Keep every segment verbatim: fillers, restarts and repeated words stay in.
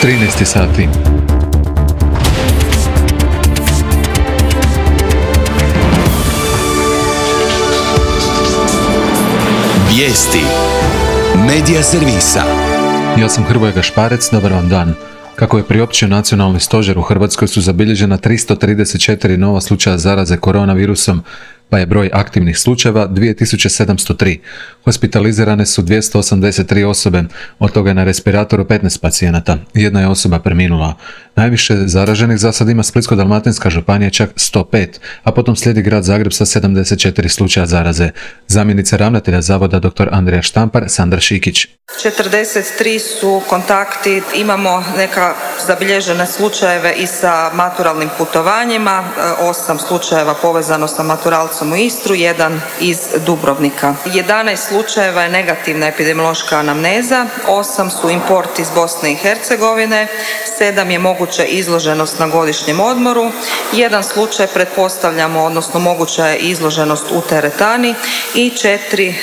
trinaest sati. Vijesti Medija servisa. Ja sam Hrvoje Gašparec, dobar vam dan. Kako je priopćio nacionalni stožer, u Hrvatskoj su zabilježena tristo trideset četiri nova slučaja zaraze koronavirusom, pa je broj aktivnih slučajeva dvije tisuće sedamsto tri. Hospitalizirane su dvjesto osamdeset tri osobe, od toga je na respiratoru petnaest pacijenata. Jedna je osoba preminula. Najviše zaraženih za sad ima Splitsko-dalmatinska županija, čak sto pet, a potom slijedi grad Zagreb sa sedamdeset četiri slučaja zaraze. Zamjenica ravnatelja zavoda dr. Andrija Štampar, Sandra Šikić. četrdeset tri su kontakti, imamo neka zabilježene slučajeve i sa maturalnim putovanjima, osam slučajeva povezano sa maturalcom u Istru, jedan iz Dubrovnika. jedanaest slučajeva je negativna epidemiološka anamneza, osam su import iz Bosne i Hercegovine, sedam je moguća izloženost na godišnjem odmoru, jedan slučaj pretpostavljamo, odnosno moguća je izloženost u teretani i četiri e,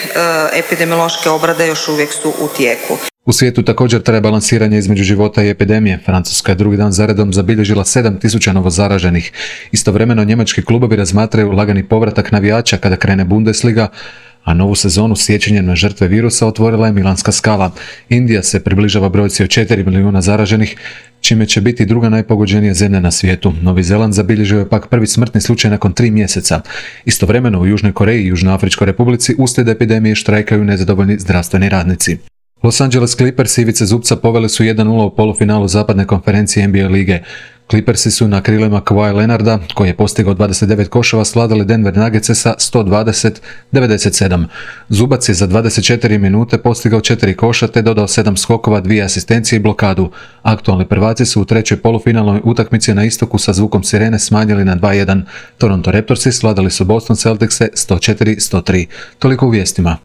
epidemiološke obrade još uvijek su u tijeku. U svijetu također traje balansiranje između života i epidemije. Francuska je drugi dan zaredom zabilježila sedam tisuća novozaraženih. Istovremeno njemački klubovi razmatraju lagani povratak navijača kada krene Bundesliga, a novu sezonu sjećanjem na žrtve virusa otvorila je Milanska Skala. Indija se približava brojci od četiri milijuna zaraženih, čime će biti druga najpogođenija zemlja na svijetu. Novi Zeland zabilježio je pak prvi smrtni slučaj nakon tri mjeseca. Istovremeno u Južnoj Koreji i Južnoafričkoj Republici uslijed epidemije štrajkaju nezadovoljni zdravstveni radnici. Los Angeles Clippers Ivice Zubca poveli su jedan nula u polufinalu zapadne konferencije N B A lige. Clippersi su na krilima Kawhi Leonarda, koji je postigao dvadeset devet koševa, svladali Denver Nuggetse sa sto dvadeset devedeset sedam. Zubac je za dvadeset četiri minute postigao četiri koša te dodao sedam skokova, dvije asistencije i blokadu. Aktualni prvaci su u trećoj polufinalnoj utakmici na istoku sa zvukom sirene smanjili na dva jedan. Toronto Raptorsi svladali su Boston Celticse sto četiri sto tri. Toliko u vijestima.